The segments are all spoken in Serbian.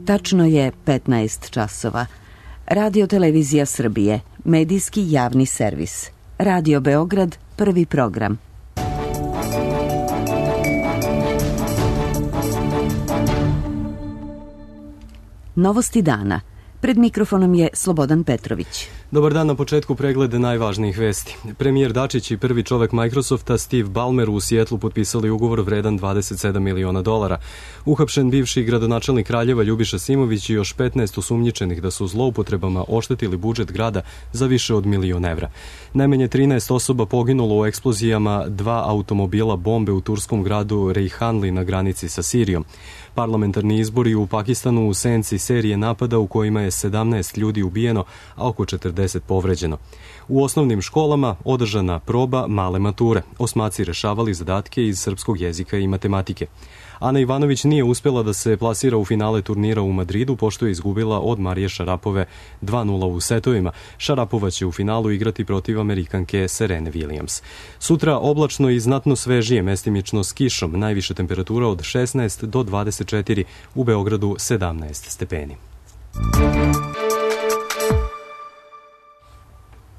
Tačno je 15 časova. Radio Televizija Srbije, medijski javni servis. Radio Beograd, prvi program. Novosti dana. Pred mikrofonom je Slobodan Petrović. Dobar dan, na početku preglede najvažnijih vesti. Premijer Dačić i prvi čovek Microsofta Steve Ballmer u Sijetlu potpisali ugovor vredan $27 miliona. Uhapšen bivši gradonačelnik Kraljeva Ljubiša Simović i još 15 osumnjičenih da su zloupotrebama oštetili budžet grada za više od $1.000.000. Najmanje 13 osoba poginulo u eksplozijama 2 automobila bombe u turskom gradu Rejhanli na granici sa Sirijom. Parlamentarni izbori u Pakistanu u senci serije napada u kojima je 17 ljudi ubijeno, a oko 40 povređeno. U osnovnim školama održana proba male mature. Osmaci rešavali zadatke iz srpskog jezika i matematike. Ana Ivanović nije uspjela da se plasira u finale turnira u Madridu, pošto je izgubila od Marije Šarapove 2:0 u setovima. Šarapova će u finalu igrati protiv Amerikanke Serene Williams. Sutra oblačno i znatno svežije, mestimično s kišom, najviše temperatura od 16 do 24, u Beogradu 17 stepeni.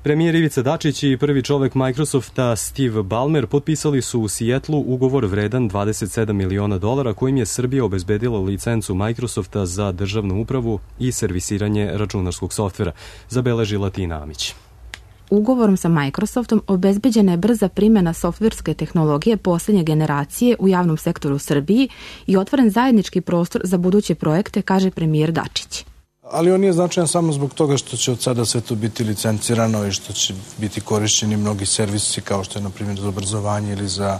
Premijer Ivica Dačić i prvi čovek Microsofta Steve Ballmer potpisali su u Sijetlu ugovor vredan $27 miliona kojim je Srbija obezbedila licencu Microsofta za državnu upravu i servisiranje računarskog softvera, zabeležila Tina Amić. Ugovorom sa Microsoftom obezbeđena je brza primjena softverske tehnologije posljednje generacije u javnom sektoru u Srbiji i otvoren zajednički prostor za buduće projekte, kaže premijer Dačić. Ali on nije značajan samo zbog toga što će od sada sve to biti licencirano i što će biti korišćeni mnogi servisi kao što je na primjer za obrazovanje ili za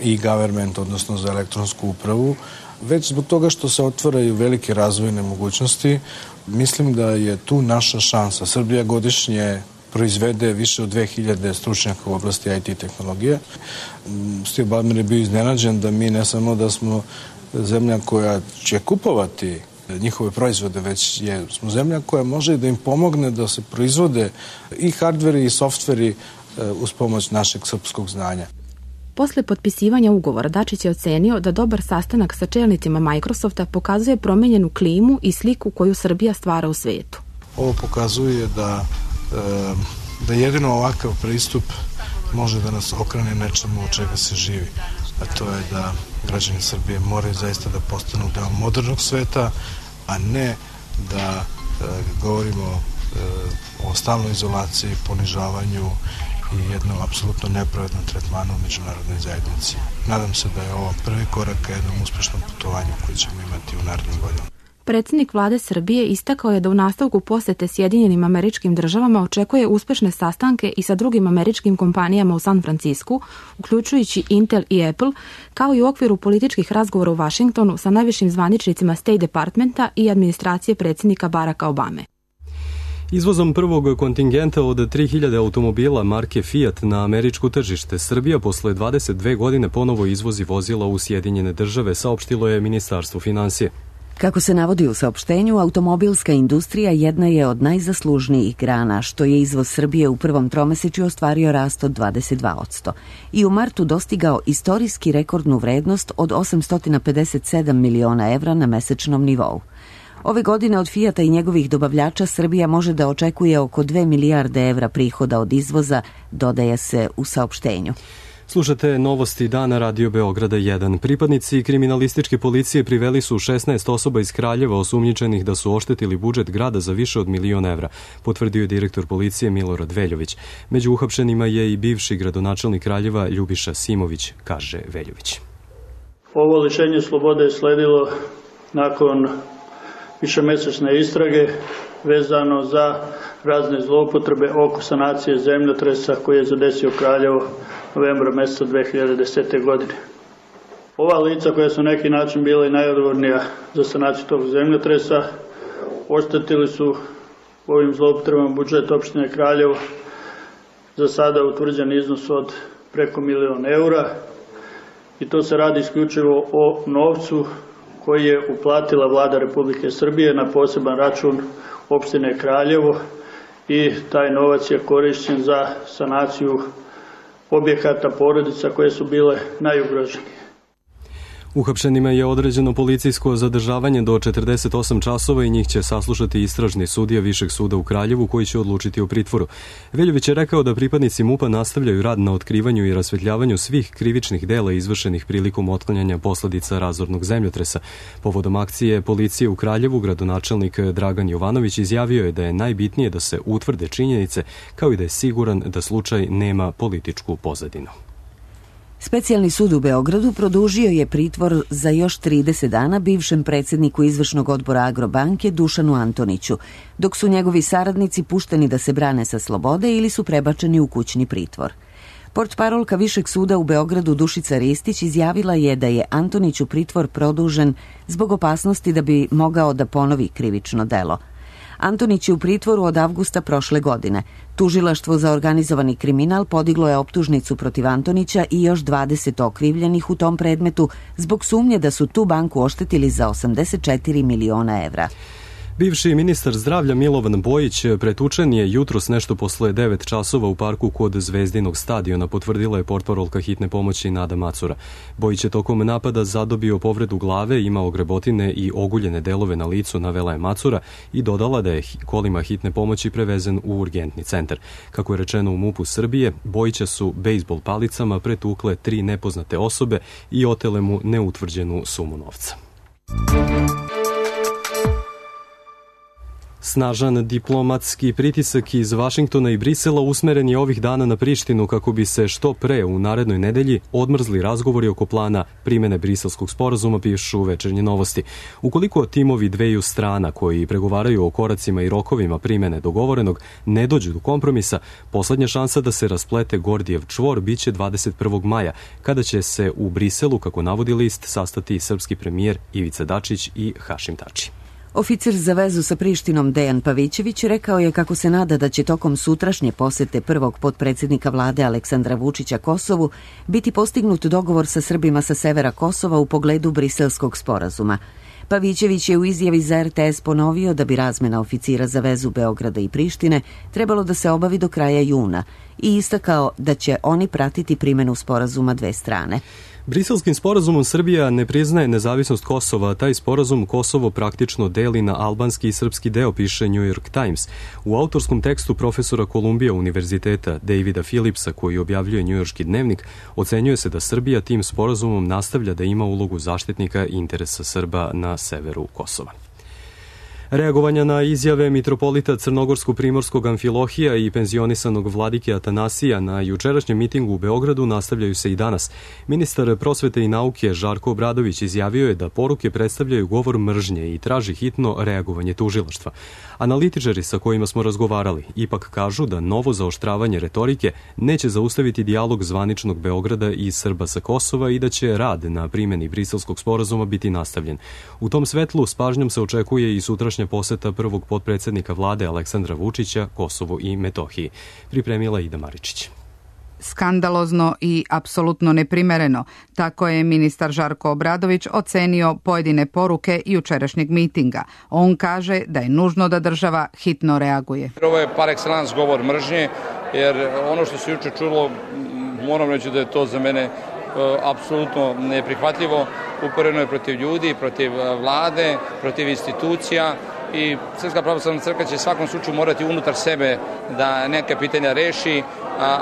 e-government, odnosno za elektronsku upravu, već zbog toga što se otvaraju velike razvojne mogućnosti. Mislim da je tu naša šansa. Srbija godišnje proizvede više od 2000 stručnjaka u oblasti IT tehnologije. Steve Ballmer je bio iznenađen da mi ne samo da smo zemlja koja će kupovati njihove proizvode, već smo zemlja koja može da im pomogne da se proizvode i hardveri i softveri uz pomoć našeg srpskog znanja. Posle potpisivanja ugovora Dačić je ocenio da dobar sastanak sa čelnicima Microsofta pokazuje promenjenu klimu i sliku koju Srbija stvara u svetu. Ovo pokazuje da jedino ovakav pristup može da nas okrene nečemu od čega se živi. A to je da građani Srbije moraju zaista da postanu deo modernog sveta, a ne da govorimo o stalnoj izolaciji, ponižavanju i jednom apsolutno nepravednom tretmanu u međunarodnoj zajednici. Nadam se da je ovo prvi korak ka jednom uspešnom putovanju koji ćemo imati u narednim godinama. Predsjednik vlade Srbije istakao je da u nastavku posete Sjedinjenim Američkim Državama očekuje uspešne sastanke i sa drugim američkim kompanijama u San Francisku, uključujući Intel i Apple, kao i u okviru političkih razgovora u Vašingtonu sa najvišim zvaničnicima State Departmenta i administracije predsjednika Baracka Obame. Izvozom prvog kontingenta od 3000 automobila marke Fiat na američko tržište, Srbija posle 22 godine ponovo izvozi vozila u Sjedinjene Države, saopštilo je Ministarstvo finansije. Kako se navodi u saopštenju, automobilska industrija jedna je od najzaslužnijih grana, što je izvoz Srbije u prvom tromesečju ostvario rast od 22% i u martu dostigao istorijski rekordnu vrednost od 857 miliona evra na mesečnom nivou. Ove godine od Fijata i njegovih dobavljača Srbija može da očekuje oko 2 milijarde evra prihoda od izvoza, dodaje se u saopštenju. Slušate novosti dana Radio Beograda 1. Pripadnici kriminalističke policije priveli su 16 osoba iz Kraljeva osumnjičenih da su oštetili budžet grada za više od $1.000.000, potvrdio je direktor policije Milorad Veljović. Među uhapšenima je i bivši gradonačelnik Kraljeva Ljubiša Simović, kaže Veljović. Ovo lišenje slobode je sledilo nakon višemesečne istrage vezano za razne zloupotrebe oko sanacije zemljotresa koji je zadesio Kraljevo novembra meseca 2010. godine. Ova lica koja su na neki način bila i najodgovornija za sanaciju tog zemljotresa oštetili su ovim zloupotrebama budžet opštine Kraljevo za sada utvrđen iznos od preko €1.000.000 i to se radi isključivo o novcu koji je uplatila vlada Republike Srbije na poseban račun opštine Kraljevo i taj novac je korišćen za sanaciju objekata porodica koje su bile najugroženije. Uhapšenima je određeno policijsko zadržavanje do 48 časova i njih će saslušati istražni sudija Višeg suda u Kraljevu koji će odlučiti o pritvoru. Veljović je rekao da pripadnici MUP-a nastavljaju rad na otkrivanju i rasvetljavanju svih krivičnih dela izvršenih prilikom otklanjanja posledica razornog zemljotresa. Povodom akcije policije u Kraljevu, gradonačelnik Dragan Jovanović izjavio je da je najbitnije da se utvrde činjenice, kao i da je siguran da slučaj nema političku pozadinu. Specijalni sud u Beogradu produžio je pritvor za još 30 dana bivšem predsjedniku izvršnog odbora Agrobanke Dušanu Antoniću, dok su njegovi saradnici pušteni da se brane sa slobode ili su prebačeni u kućni pritvor. Portparolka Višeg suda u Beogradu Dušica Ristić izjavila je da je Antoniću pritvor produžen zbog opasnosti da bi mogao da ponovi krivično delo. Antonić je u pritvoru od avgusta prošle godine. Tužilaštvo za organizovani kriminal podiglo je optužnicu protiv Antonića i još 20 okrivljenih u tom predmetu zbog sumnje da su tu banku oštetili za 84 miliona evra. Bivši ministar zdravlja Milovan Bojić pretučen je jutros nešto posle 9 časova u parku kod Zvezdinog stadiona, potvrdila je portparolka hitne pomoći Nada Macura. Bojić je tokom napada zadobio povredu glave, imao grebotine i oguljene delove na licu, navela je Macura i dodala da je kolima hitne pomoći prevezen u urgentni centar. Kako je rečeno u MUP-u Srbije, Bojića su bejzbol palicama pretukle 3 nepoznate osobe i otele mu neutvrđenu sumu novca. Snažan diplomatski pritisak iz Vašingtona i Brisela usmeren je ovih dana na Prištinu kako bi se što pre u narednoj nedelji odmrzli razgovori oko plana primene Briselskog sporazuma, pišu Večernje novosti. Ukoliko timovi dveju strana koji pregovaraju o koracima i rokovima primene dogovorenog ne dođu do kompromisa, poslednja šansa da se rasplete Gordijev čvor biće 21. maja, kada će se u Briselu, kako navodi list, sastati srpski premijer Ivica Dačić i Hašim Tači. Oficir za vezu sa Prištinom Dejan Pavićević rekao je kako se nada da će tokom sutrašnje posete prvog potpredsjednika vlade Aleksandra Vučića Kosovu biti postignut dogovor sa Srbima sa severa Kosova u pogledu Briselskog sporazuma. Pavićević je u izjavi za RTS ponovio da bi razmena oficira za vezu Beograda i Prištine trebalo da se obavi do kraja juna i istakao da će oni pratiti primenu sporazuma dve strane. Briselskim sporazumom Srbija ne priznaje nezavisnost Kosova, a taj sporazum Kosovo praktično deli na albanski i srpski deo, piše New York Times. U autorskom tekstu profesora Kolumbija univerziteta Davida Phillipsa, koji objavljuje njujorški dnevnik, ocenjuje se da Srbija tim sporazumom nastavlja da ima ulogu zaštitnika interesa Srba na severu Kosova. Reagovanja na izjave mitropolita Crnogorsko-Primorskog Amfilohija i penzionisanog vladike Atanasija na jučerašnjem mitingu u Beogradu nastavljaju se i danas. Ministar prosvete i nauke Žarko Obradović izjavio je da poruke predstavljaju govor mržnje i traži hitno reagovanje tužilaštva. Analitičari sa kojima smo razgovarali ipak kažu da novo zaoštravanje retorike neće zaustaviti dijalog zvaničnog Beograda i Srba sa Kosova i da će rad na primjeni Briselskog sporazuma biti nastavljen. U tom svetlu s pažnjom se očekuje i sutrašnja poseta prvog potpredsjednika vlade Aleksandra Vučića Kosovu i Metohiji. Pripremila Ida Maričić. Skandalozno i apsolutno neprimereno. Tako je ministar Žarko Obradović ocenio pojedine poruke jučerašnjeg mitinga. On kaže da je nužno da država hitno reaguje. Ovo je par excellence govor mržnje, jer ono što se juče čulo, moram reći da je to za mene apsolutno neprihvatljivo. Uporeno je protiv ljudi, protiv vlade, protiv institucija i Srpska pravoslavna crkva će svakom slučaju morati unutar sebe da neka pitanja reši,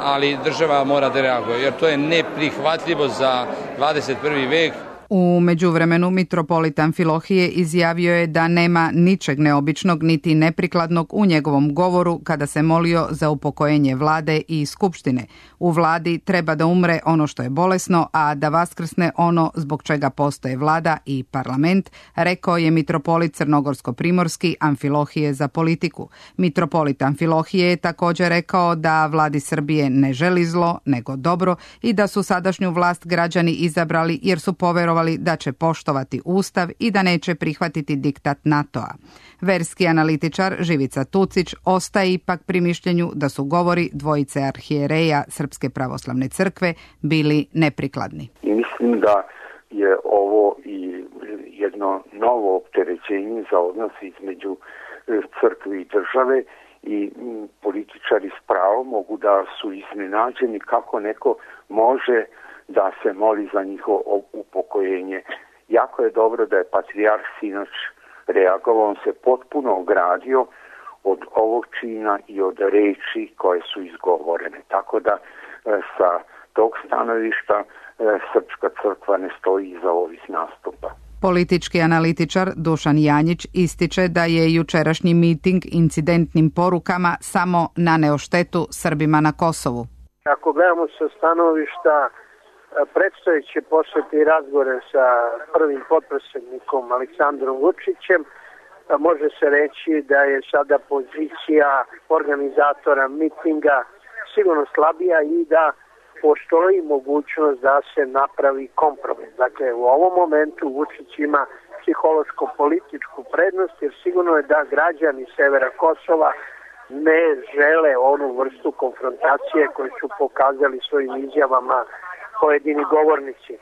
ali država mora da reaguje, jer to je neprihvatljivo za 21. vek. U međuvremenu mitropolit Amfilohije izjavio je da nema ničeg neobičnog niti neprikladnog u njegovom govoru kada se molio za upokojenje vlade i skupštine. U vladi treba da umre ono što je bolesno, a da vaskrsne ono zbog čega postoje vlada i parlament, rekao je mitropolit Crnogorsko-Primorski Amfilohije za politiku. Mitropolit Amfilohije je također rekao da vladi Srbije ne želi zlo, nego dobro i da su sadašnju vlast građani izabrali jer su poverovali da će poštovati Ustav i da neće prihvatiti diktat NATO-a. Verski analitičar Živica Tucić ostaje ipak pri mišljenju da su govori dvojice arhijereja Srpske pravoslavne crkve bili neprikladni. I mislim da je ovo i jedno novo opterećenje za odnos između crkve i države i političari s pravom mogu da su iznenađeni kako neko može da se moli za njihovo upokojenje. Jako je dobro da je patrijarh sinoć reagovao, on se potpuno ogradio od ovog čina i od reči koje su izgovorene. Tako da sa tog stanovišta Srpska crkva ne stoji iza ovih nastupa. Politički analitičar Dušan Janjić ističe da je jučerašnji miting incidentnim porukama samo naneo štetu Srbima na Kosovu. Ako gledamo sa stanovišta predstojeće posete i razgovore sa prvim potpredsjednikom Aleksandrom Vučićem, može se reći da je sada pozicija organizatora mitinga sigurno slabija i da postoji mogućnost da se napravi kompromis. Dakle, u ovom momentu Vučić ima psihološko-političku prednost, jer sigurno je da građani severa Kosova ne žele onu vrstu konfrontacije koju su pokazali svojim izjavama pojedini govornici.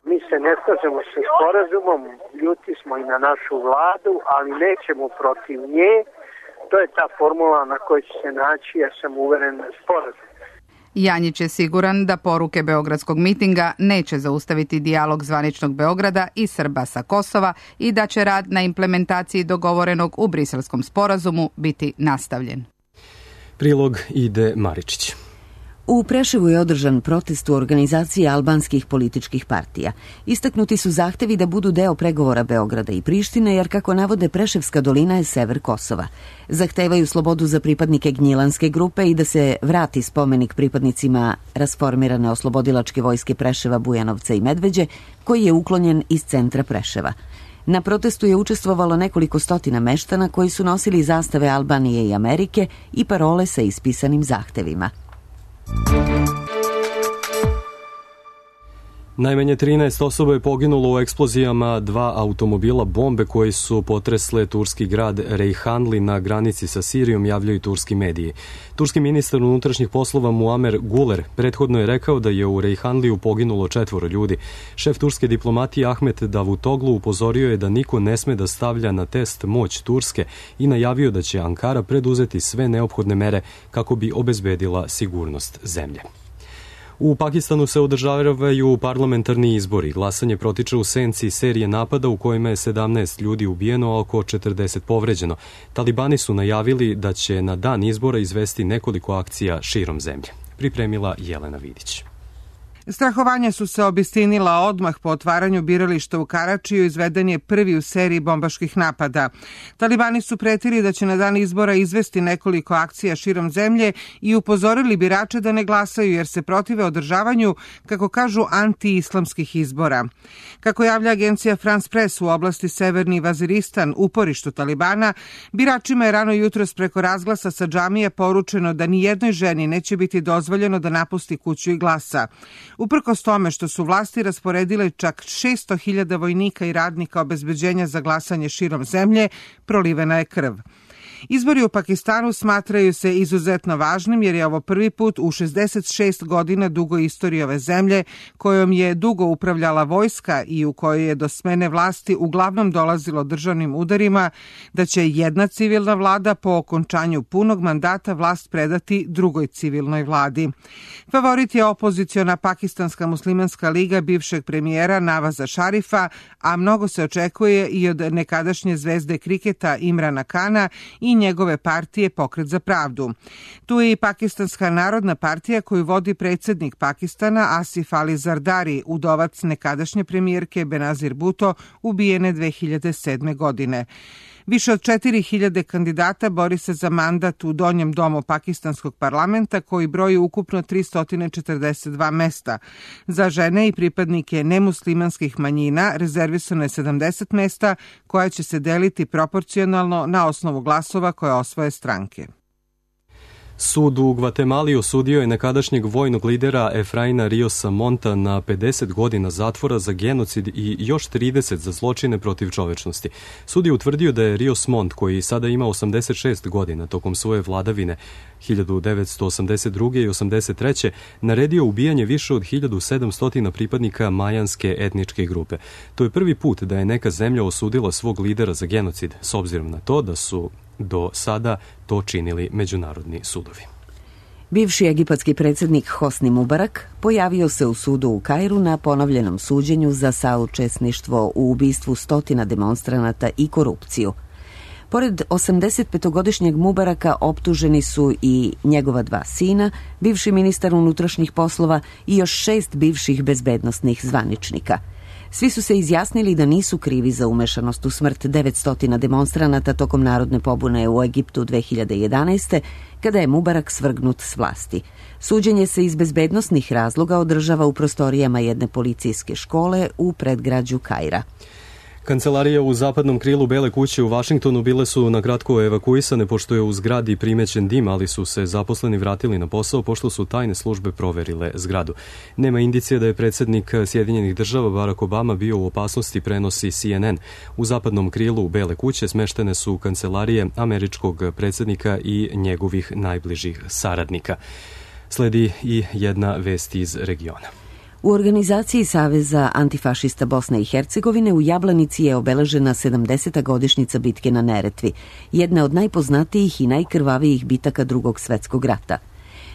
Mi se ne slažemo sa sporazumom, ljuti smo i na našu vladu, ali nećemo protiv nje. To je ta formula na kojoj će se naći, ja sam uveren, sporazum. Janjić je siguran da poruke beogradskog mitinga neće zaustaviti dijalog zvaničnog Beograda i Srba sa Kosova i da će rad na implementaciji dogovorenog u Briselskom sporazumu biti nastavljen. Prilog Ide Maričić. U Preševu je održan protest u organizaciji albanskih političkih partija. Istaknuti su zahtevi da budu deo pregovora Beograda i Prištine, jer kako navode Preševska dolina je sever Kosova. Zahtevaju slobodu za pripadnike Gnjilanske grupe i da se vrati spomenik pripadnicima rasformirane oslobodilačke vojske Preševa, Bujanovca i Medveđe, koji je uklonjen iz centra Preševa. Na protestu je učestvovalo nekoliko stotina meštana koji su nosili zastave Albanije i Amerike i parole sa ispisanim zahtevima. Najmanje 13 osoba je poginulo u eksplozijama 2 automobila bombe koji su potresle turski grad Reyhanli na granici sa Sirijom, javljaju turski mediji. Turski ministar unutrašnjih poslova Muamer Guler prethodno je rekao da je u Reyhanliju poginulo 4 ljudi. Šef turske diplomatije Ahmet Davutoglu upozorio je da niko ne sme da stavlja na test moć Turske i najavio da će Ankara preduzeti sve neophodne mere kako bi obezbedila sigurnost zemlje. U Pakistanu se održavaju parlamentarni izbori. Glasanje protiče u senci serije napada u kojima je 17 ljudi ubijeno, a oko 40 povređeno. Talibani su najavili da će na dan izbora izvesti nekoliko akcija širom zemlje. Pripremila Jelena Vidić. Strahovanja su se obistinila odmah po otvaranju birališta u Karačiju, izveden je prvi u seriji bombaških napada. Talibani su pretili da će na dan izbora izvesti nekoliko akcija širom zemlje i upozorili birače da ne glasaju jer se protive održavanju, kako kažu, anti-islamskih izbora. Kako javlja agencija France Press, u oblasti Severni Vaziristan, uporištu Talibana, biračima je rano jutros preko razglasa sa džamije poručeno da ni jednoj ženi neće biti dozvoljeno da napusti kuću i glasa. Uprkos tome što su vlasti rasporedile čak 600.000 vojnika i radnika obezbeđenja za glasanje širom zemlje, prolivena je krv. Izbori u Pakistanu smatraju se izuzetno važnim jer je ovo prvi put u 66 godina dugoj istoriji ove zemlje, kojom je dugo upravljala vojska i u kojoj je do smene vlasti uglavnom dolazilo državnim udarima, da će jedna civilna vlada po okončanju punog mandata vlast predati drugoj civilnoj vladi. Favorit je opoziciona Pakistanska muslimanska liga bivšeg premijera Navaza Šarifa, a mnogo se očekuje i od nekadašnje zvezde kriketa Imrana Kana i njegove partije Pokret za pravdu. Tu je i Pakistanska narodna partija koju vodi predsjednik Pakistana Asif Ali Zardari, udovac nekadašnje premijerke Benazir Bhutto, ubijene 2007. godine. Više od 4.000 kandidata bori se za mandat u donjem domu pakistanskog parlamenta koji broji ukupno 342 mesta. Za žene i pripadnike nemuslimanskih manjina rezervisano je 70 mesta koja će se deliti proporcionalno na osnovu glasova koje osvoje stranke. Sud u Gvatemali osudio je nekadašnjeg vojnog lidera Efraina Riosa Monta na 50 godina zatvora za genocid i još 30 za zločine protiv čovečnosti. Sud je utvrdio da je Rios Mont, koji sada ima 86 godina tokom svoje vladavine 1982. i 83. naredio ubijanje više od 1700 pripadnika majanske etničke grupe. To je prvi put da je neka zemlja osudila svog lidera za genocid, s obzirom na to da su do sada to činili međunarodni sudovi. Bivši egipatski predsjednik Hosni Mubarak pojavio se u sudu u Kairu na ponovljenom suđenju za saučesništvo u ubistvu stotina demonstranata i korupciju. Pored 85-godišnjeg Mubaraka optuženi su i njegova 2 sina, bivši ministar unutrašnjih poslova i još 6 bivših bezbednosnih zvaničnika. Svi su se izjasnili da nisu krivi za umešanost u smrt 900 demonstranata tokom narodne pobune u Egiptu 2011. kada je Mubarak svrgnut s vlasti. Suđenje se iz bezbednosnih razloga održava u prostorijama jedne policijske škole u predgrađu Kaira. Kancelarije u zapadnom krilu Bele kuće u Vašingtonu bile su na kratko evakuisane pošto je u zgradi primećen dim, ali su se zaposleni vratili na posao pošto su tajne službe proverile zgradu. Nema indicije da je predsjednik Sjedinjenih država Barack Obama bio u opasnosti, prenosi CNN. U zapadnom krilu Bele kuće smeštene su kancelarije američkog predsjednika i njegovih najbližih saradnika. Sledi i jedna vest iz regiona. U organizaciji Saveza antifašista Bosne i Hercegovine u Jablanici je obeležena 70. godišnjica bitke na Neretvi, jedna od najpoznatijih i najkrvavijih bitaka Drugog svjetskog rata.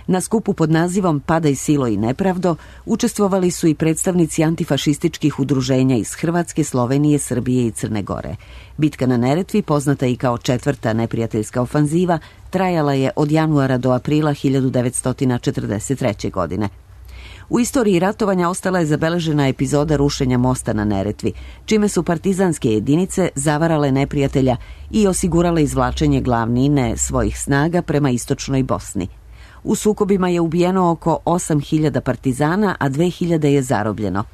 Na skupu pod nazivom Padaj silo i nepravdo učestvovali su i predstavnici antifašističkih udruženja iz Hrvatske, Slovenije, Srbije i Crne Gore. Bitka na Neretvi, poznata i kao 4. neprijateljska ofanziva, trajala je od januara do aprila 1943. godine. U istoriji ratovanja ostala je zabeležena epizoda rušenja mosta na Neretvi, čime su partizanske jedinice zavarale neprijatelja i osigurale izvlačenje glavnine svojih snaga prema istočnoj Bosni. U sukobima je ubijeno oko 8.000 partizana, a 2.000 je zarobljeno.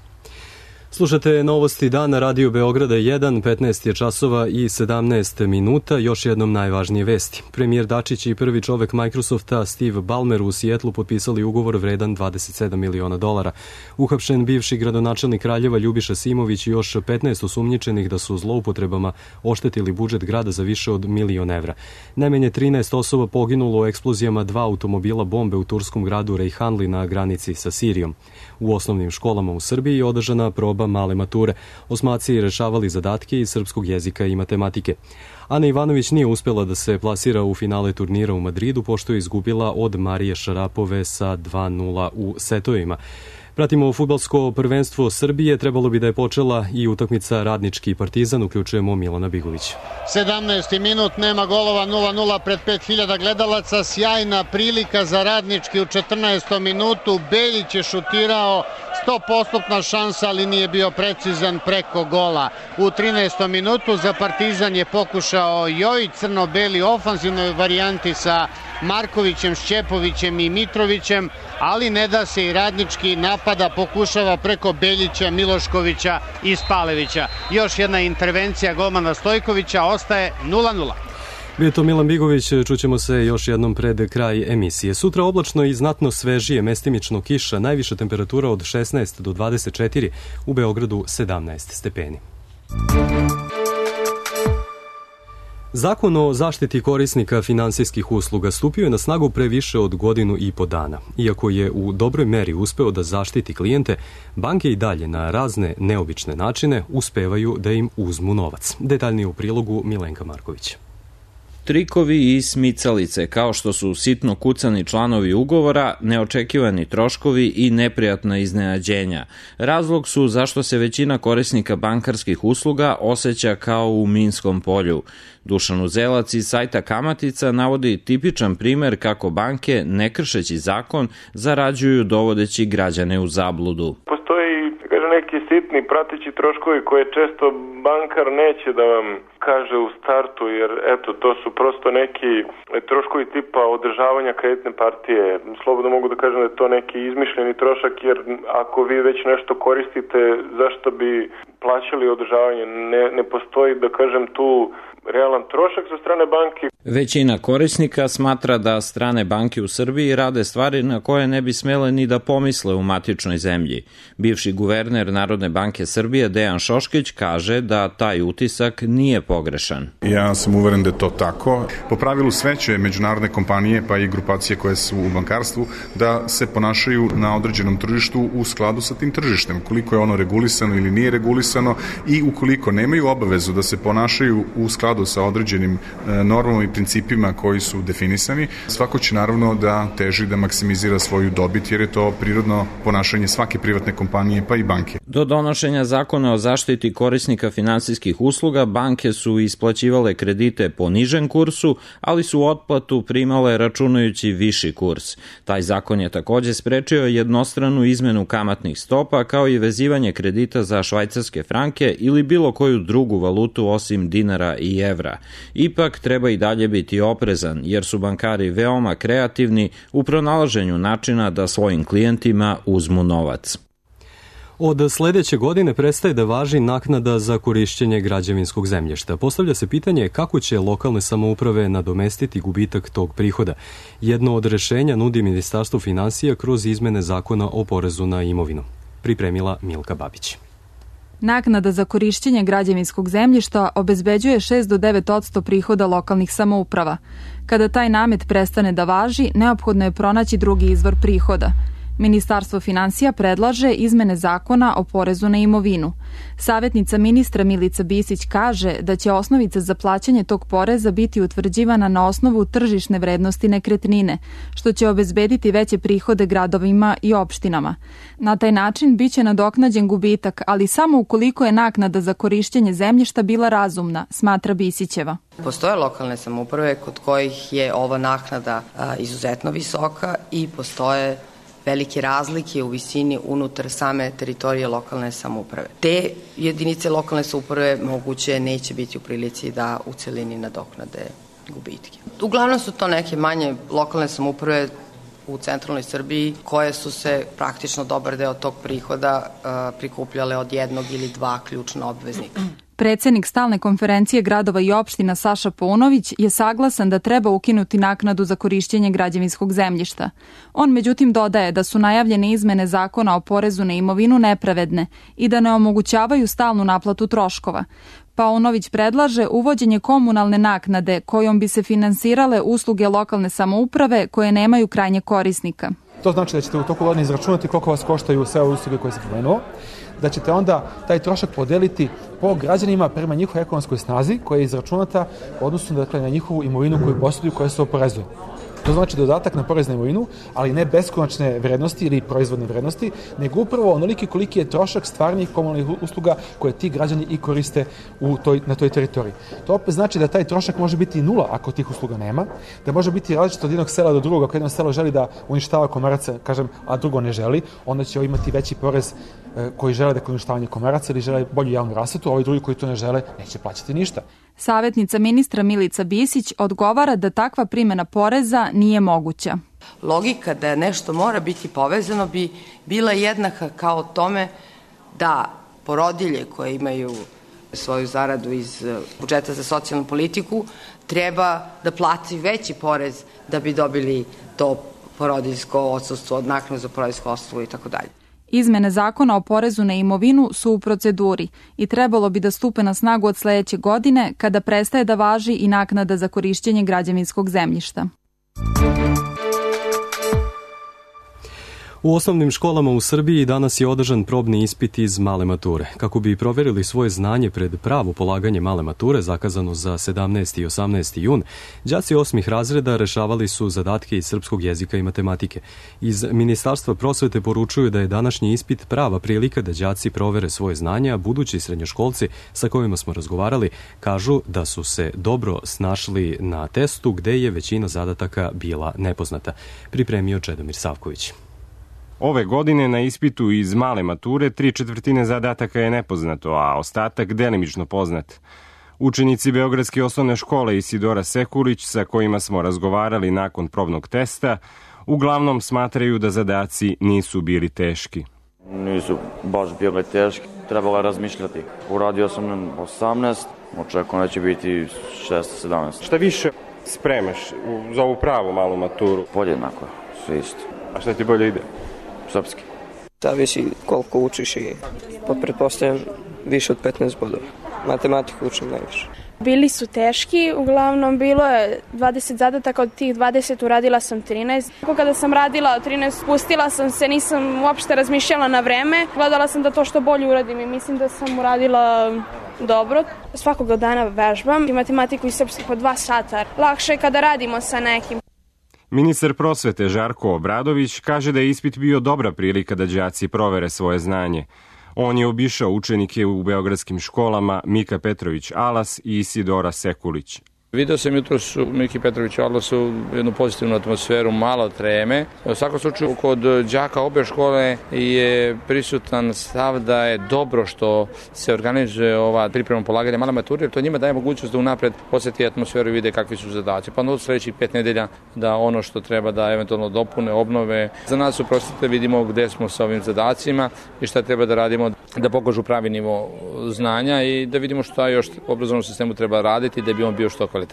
Slušate novosti dana Radio Beograda 1, 15 je časova i 17 minuta, još jednom najvažnije vesti. Premijer Dačić i prvi čovek Microsofta Steve Ballmer u Sijetlu potpisali ugovor vredan $27 miliona. Uhapšen bivši gradonačelnik Kraljeva Ljubiša Simović i još 15 osumnjičenih da su zloupotrebama oštetili budžet grada za više od €1.000.000. Najmanje 13 osoba poginulo u eksplozijama 2 automobila bombe u turskom gradu Rejhanli na granici sa Sirijom. U osnovnim školama u Srbiji je održana proba male mature. Osmaci rešavali zadatke iz srpskog jezika i matematike. Ana Ivanović nije uspjela da se plasira u finale turnira u Madridu pošto je izgubila od Marije Šarapove sa 2:0 u setovima. Pratimo fudbalsko prvenstvo Srbije, trebalo bi da je počela i utakmica Radnički Partizan, uključujemo Milana Bigovića. 17. minut, nema golova, 0:0 pred 5.000 gledalaca, sjajna prilika za Radnički u 14. minutu, Beljić je šutirao, 100% šansa, ali nije bio precizan preko gola. U 13. minutu za Partizan je pokušao Jojić, crno-beli ofanzivnoj varijanti sa Markovićem, Šćepovićem i Mitrovićem, ali ne da se i Radnički napada, pokušava preko Beljića, Miloškovića i Spalevića. Još jedna intervencija golmana Stojkovića, ostaje 0:0. Bio je to Milan Bigović, čućemo se još jednom pred kraj emisije. Sutra oblačno i znatno svežije, mestimično kiša, najviša temperatura od 16 do 24, u Beogradu 17 stepeni. Zakon o zaštiti korisnika finansijskih usluga stupio je na snagu pre više od 1,5 dana. Iako je u dobroj meri uspeo da zaštiti klijente, banke i dalje na razne neobične načine uspevaju da im uzmu novac. Detaljnije u prilogu Milenka Marković. Trikovi i smicalice, kao što su sitno kucani članovi ugovora, neočekivani troškovi i neprijatna iznenađenja. Razlog su zašto se većina korisnika bankarskih usluga osjeća kao u minskom polju. Dušan Uzelac iz sajta Kamatica navodi tipičan primer kako banke, ne kršeći zakon, zarađuju dovodeći građane u zabludu. Postoji neki sitni prateći troškovi koje često bankar neće da vam kaže u startu, jer eto, to su prosto neki troškovi tipa održavanja kreditne partije. Slobodno mogu da kažem da je to neki izmišljeni trošak, jer ako vi već nešto koristite, zašto bi plaćali održavanje? Ne postoji, da kažem, tu realan trošak sa strane banke. Većina korisnika smatra da strane banke u Srbiji rade stvari na koje ne bi smele ni da pomisle u matičnoj zemlji. Bivši guverner Narodne banke Srbije Dejan Šoškić kaže da taj utisak nije pogrešan. Ja sam uveren da je to tako. Po pravilu sve će međunarodne kompanije pa i grupacije koje su u bankarstvu da se ponašaju na određenom tržištu u skladu sa tim tržištem. Koliko je ono regulisano ili nije regulisano i ukoliko nemaju obavezu da se ponašaju u skladu sa određenim normama i principima koji su definisani, svako će naravno da teži da maksimizira svoju dobit jer je to prirodno ponašanje svake privatne kompanije pa i banke. Do donošenja zakona o zaštiti korisnika finansijskih usluga, banke su isplaćivale kredite po nižem kursu, ali su otplatu primale računajući viši kurs. Taj zakon je takođe sprečio jednostranu izmenu kamatnih stopa kao i vezivanje kredita za švajcarske franke ili bilo koju drugu valutu osim dinara i evra. Ipak treba i dalje biti oprezan jer su bankari veoma kreativni u pronalaženju načina da svojim klijentima uzmu novac. Od sledeće godine prestaje da važi naknada za korišćenje građevinskog zemljišta. Postavlja se pitanje kako će lokalne samouprave nadomestiti gubitak tog prihoda. Jedno od rešenja nudi Ministarstvo finansija kroz izmene zakona o porezu na imovinu. Pripremila Milka Babić. Naknada za korišćenje građevinskog zemljišta obezbeđuje 6 do 9% prihoda lokalnih samouprava. Kada taj namet prestane da važi, neophodno je pronaći drugi izvor prihoda. Ministarstvo finansija predlaže izmene zakona o porezu na imovinu. Savjetnica ministra Milica Bisić kaže da će osnovica za plaćanje tog poreza biti utvrđivana na osnovu tržišne vrednosti nekretnine, što će obezbediti veće prihode gradovima i opštinama. Na taj način biće nadoknađen gubitak, ali samo ukoliko je naknada za korišćenje zemljišta bila razumna, smatra Bisićeva. Postoje lokalne samouprave kod kojih je ova naknada izuzetno visoka i postoje velike razlike u visini unutar same teritorije lokalne samouprave. Te jedinice lokalne samouprave moguće neće biti u prilici da u celini nadoknade gubitke. Uglavnom su to neke manje lokalne samouprave u centralnoj Srbiji koje su se praktično dobar deo tog prihoda prikupljale od jednog ili dva ključna obveznika. Predsednik stalne konferencije gradova i opština Saša Paunović je saglasan da treba ukinuti naknadu za korišćenje građevinskog zemljišta. On međutim dodaje da su najavljene izmene zakona o porezu na imovinu nepravedne i da ne omogućavaju stalnu naplatu troškova. Paunović predlaže uvođenje komunalne naknade kojom bi se finansirale usluge lokalne samouprave koje nemaju krajnjeg korisnika. To znači da ćete u toku godine izračunati koliko vas koštaju sve ove usluge koje se pomenuo, da ćete onda taj trošak podeliti po građanima prema njihovoj ekonomskoj snazi koja je izračunata odnosno na njihovu imovinu koju posjeduju koja se oporezuje. To znači dodatak na porez na imovinu, ali ne beskonačne vrednosti ili proizvodne vrednosti, nego upravo onoliki koliki je trošak stvarnih komunalnih usluga koje ti građani i koriste na toj teritoriji. To opet znači da taj trošak može biti nula ako tih usluga nema, da može biti različito od jednog sela do drugog. Ako jedno selo želi da uništava komaraca, a drugo ne želi, onda će imati veći porez koji žele da uništavanje komaraca ili žele bolju javnu rasvetu, a ovi drugi koji to ne žele neće plaćati ništa. Savjetnica ministra Milica Bisić odgovara da takva primjena poreza nije moguća. Logika da nešto mora biti povezano bi bila jednaka kao tome da porodilje koje imaju svoju zaradu iz budžeta za socijalnu politiku treba da plati veći porez da bi dobili to porodiljsko odsustvo, naknadu za porodiljsko odsustvo i tako dalje. Izmene zakona o porezu na imovinu su u proceduri i trebalo bi da stupe na snagu od sledeće godine kada prestaje da važi i naknada za korišćenje građevinskog zemljišta. U osnovnim školama u Srbiji danas je održan probni ispit iz male mature. Kako bi proverili svoje znanje pred pravo polaganje male mature, zakazano za 17. i 18. jun, đaci 8. razreda rešavali su zadatke iz srpskog jezika i matematike. Iz Ministarstva prosvete poručuju da je današnji ispit prava prilika da đaci provere svoje znanje, a budući srednjoškolci sa kojima smo razgovarali kažu da su se dobro snašli na testu gde je većina zadataka bila nepoznata. Pripremio Čedomir Savković. Ove godine na ispitu iz male mature 3/4 zadataka je nepoznato, a ostatak delimično poznat. Učenici Beogradske osnovne škole Isidora Sekulić, sa kojima smo razgovarali nakon probnog testa, uglavnom smatraju da zadaci nisu bili teški. Nisu baš bili teški, trebalo je razmišljati. Uradio sam 18, očekujem da će biti 6-17. Šta više spremaš za ovu pravu malu maturu? Podjednako, sve isto. A šta ti bolje ide? Srpski. Zavisi koliko učiš i pretpostavljam više od 15 bodova. Matematiku učim najviše. Bili su teški, uglavnom bilo je 20 zadataka, od tih 20 uradila sam 13. Kada sam radila 13, spustila sam se, nisam uopšte razmišljala na vreme, gledala sam da to što bolje uradim i mislim da sam uradila dobro. Svakog dana vežbam i matematiku i srpski po 2 sata. Lakše je kada radimo sa nekim. Ministar prosvete Žarko Obradović kaže da je ispit bio dobra prilika da đaci provere svoje znanje. On je obišao učenike u beogradskim školama Mika Petrović Alas i Isidora Sekulić. Video sam jutros u Miki Petroviću Alasu jednu pozitivnu atmosferu, malo treme. U svakom slučaju kod đaka obe škole je prisutan stav da je dobro što se organizuje ova priprema polaganja male mature, jer to njima daje mogućnost da unapred posjeti atmosferu i vide kakvi su zadaci. Pa od sledećih 5 nedelja da ono što treba da eventualno dopune, obnove. Za nas u prosvete vidimo gde smo sa ovim zadacima i šta treba da radimo da pokažu pravi nivo znanja i da vidimo šta još u obrazovnom sistemu treba raditi da bi on bio što kvalitetniji.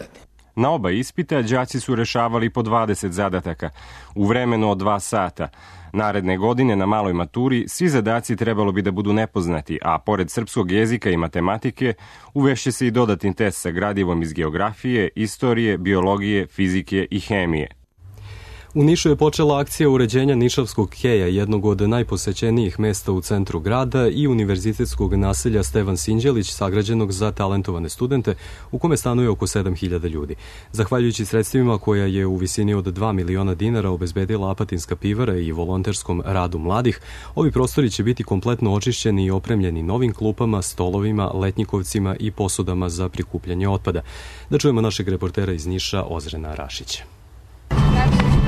Na oba ispita đaci su rešavali po 20 zadataka u vremenu od 2 sata. Naredne godine na maloj maturi svi zadaci trebalo bi da budu nepoznati, a pored srpskog jezika i matematike uvešće se i dodatni test sa gradivom iz geografije, istorije, biologije, fizike i hemije. U Nišu je počela akcija uređenja Nišavskog keja, jednog od najposećenijih mesta u centru grada i univerzitetskog naselja Stevan Sinđelić, sagrađenog za talentovane studente, u kome stanuje oko 7000 ljudi. Zahvaljujući sredstvima koja je u visini od 2 miliona dinara obezbedila Apatinska pivara i volonterskom radu mladih, ovi prostori će biti kompletno očišćeni i opremljeni novim klupama, stolovima, letnjikovcima i posudama za prikupljanje otpada. Da čujemo našeg reportera iz Niša, Ozrena Rašića.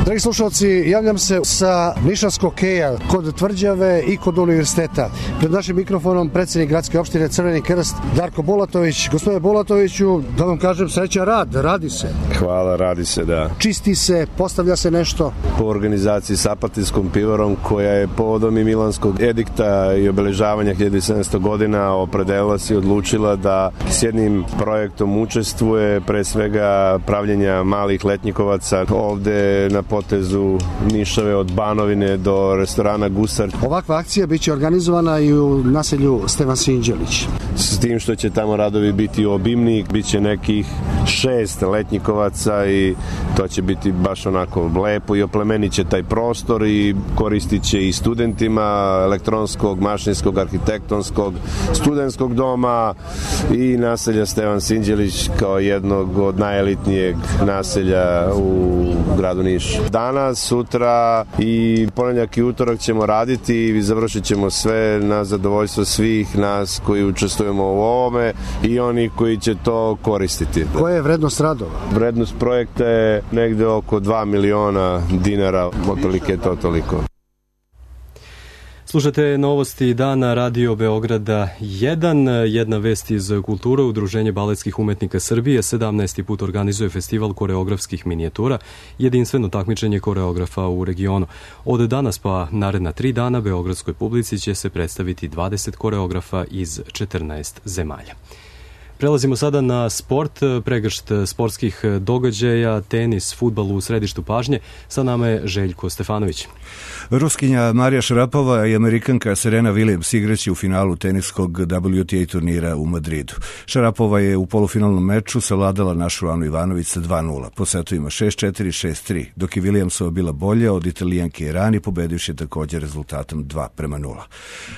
Dragi slušalci, javljam se sa Nišavskog keja kod Tvrđave i kod univerziteta. Pred našim mikrofonom predsjednik gradske opštine Crveni krst Darko Bulatović. Gospodine Bulatoviću, da vam kažem srećan rad, radi se. Hvala, radi se, da. Čisti se, postavlja se nešto. Po organizaciji s Apatinskom pivarom, koja je povodom i Milanskog edikta i obeležavanja 1700 godina opredelila se i odlučila da s jednim projektom učestvuje, pre svega pravljenja malih letnjikovaca ovde na potezu Nišave od Banovine do restorana Gusar. Ovakva akcija biće organizovana i u naselju Stevan Sinđelić. S tim što će tamo radovi biti obimni, biće nekih 6 letnjikovaca i to će biti baš onako lepo i oplemenit će taj prostor i koristit će i studentima elektronskog, mašinskog, arhitektonskog, studentskog doma i naselja Stevan Sinđelić kao jednog od najelitnijeg naselja u gradu Nišu. Danas, sutra i ponedjeljak i utorak ćemo raditi i završit ćemo sve na zadovoljstvo svih nas koji učestvujemo u ovome i oni koji će to koristiti. Koja je vrednost radova? Vrednost projekta je negde oko 2 miliona dinara, otprilike to toliko. Slušate novosti dana Radio Beograda 1, jedna vest iz kulture. Udruženje baletskih umetnika Srbije 17. put organizuje festival koreografskih minijatura, jedinstveno takmičenje koreografa u regionu. Od danas pa naredna 3 dana beogradskoj publici će se predstaviti 20 koreografa iz 14 zemalja. Prelazimo sada na sport, pregršt sportskih događaja, tenis, fudbal u središtu pažnje. Sa nama je Željko Stefanović. Ruskinja Marija Šarapova i Amerikanka Serena Williams igraće u finalu teniskog WTA turnira u Madridu. Šarapova je u polufinalnom meču savladala našu Anu Ivanović sa 2-0, po setovima 6-4, 6-3, dok je Williamsova bila bolja od Italijanke Irani, pobedivši također rezultatom 2-0.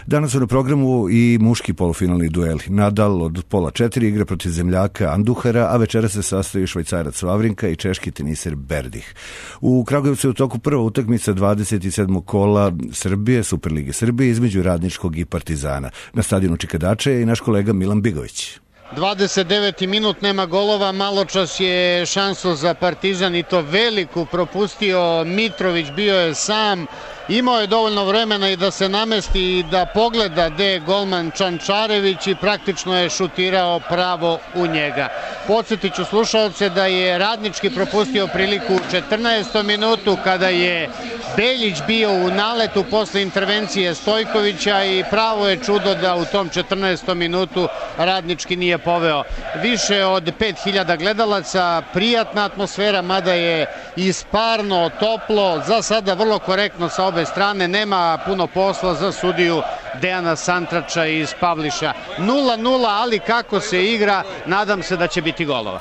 Danas su na programu i muški polufinalni dueli. Nadal od pola 4 igra protiv zemljaka Anduhara, a večera se sastoji Švajcarac Vavrinka i češki teniser Berdih. U Kragujevcu je u toku prva utakmica 27. kola Srbije, Superlige Srbije, između Radničkog i Partizana. Na stadionu Čikadače je i naš kolega Milan Bigović. 29. minut, nema golova, maločas je šansu za Partizan i to veliku propustio Mitrović, bio je sam, imao je dovoljno vremena i da se namesti i da pogleda gde je golman Čančarević i praktično je šutirao pravo u njega. Podsjetit ću slušalce da je Radnički propustio priliku u 14. minutu kada je Beljić bio u naletu posle intervencije Stojkovića i pravo je čudo da u tom 14. minutu Radnički nije poveo. Više od 5000 gledalaca, prijatna atmosfera, mada je isparno, toplo, za sada vrlo korektno sa obe strane, nema puno posla za sudiju Dejana Santrača iz Pavliša. 0-0, ali kako se igra, nadam se da će biti golova.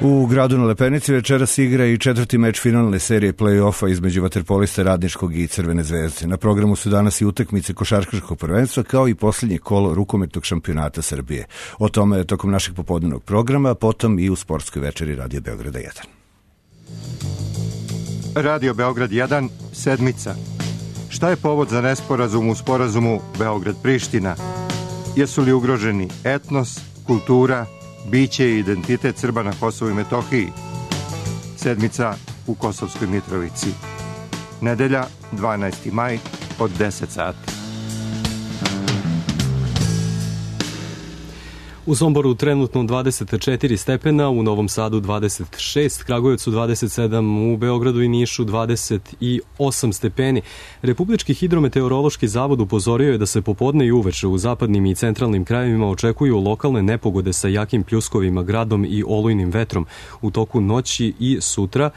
U gradu na Lepenici večeras igra i četvrti meč finalne serije play-offa između vaterpolista Radničkog i Crvene zvezde. Na programu su danas i utakmice košarkaškog prvenstva kao i posljednje kolo rukometnog šampionata Srbije. O tome tokom našeg popodnevnog programa, potom i u sportskoj večeri Radio Beograda 1. Radio Beograd 1, sedmica. Šta je povod za nesporazum u sporazumu Beograd-Priština? Jesu li ugroženi etnos, kultura, biće i identitet Srba na Kosovu i Metohiji? Sedmica u Kosovskoj Mitrovici. Nedelja, 12. maj, od 10 sati. U Somboru trenutno 24 stepena, u Novom Sadu 26, Kragujevcu 27, u Beogradu i Nišu 28 stepeni. Republički hidrometeorološki zavod upozorio je da se popodne i uveče u zapadnim i centralnim krajevima očekuju lokalne nepogode sa jakim pljuskovima, gradom i olujnim vetrom. U toku noći i sutra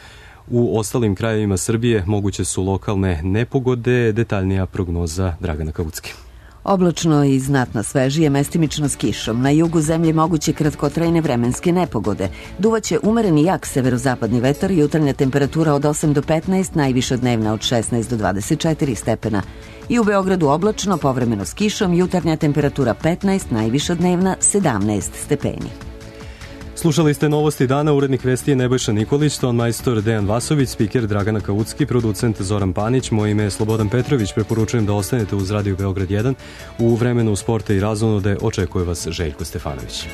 u ostalim krajevima Srbije moguće su lokalne nepogode. Detaljnija prognoza Dragana Kavucki. Oblačno i znatno svežije, mestimično s kišom. Na jugu zemlje moguće kratkotrajne vremenske nepogode. Duvaće umereni jak severozapadni vetar i jutarnja temperatura od 8 do 15, najviša dnevna od 16 do 24 stepena. I u Beogradu oblačno, povremeno s kišom, jutarnja temperatura 15, najviša dnevna 17 stepeni. Slušali ste novosti dana, urednik vesti je Nebojša Nikolić, ton majstor Dejan Vasović, spiker Dragana Kavucki, producent Zoran Panić, moje ime je Slobodan Petrović, preporučujem da ostanete uz Radio Beograd 1. U vremenu sporta i razonode očekuje vas Željko Stefanović.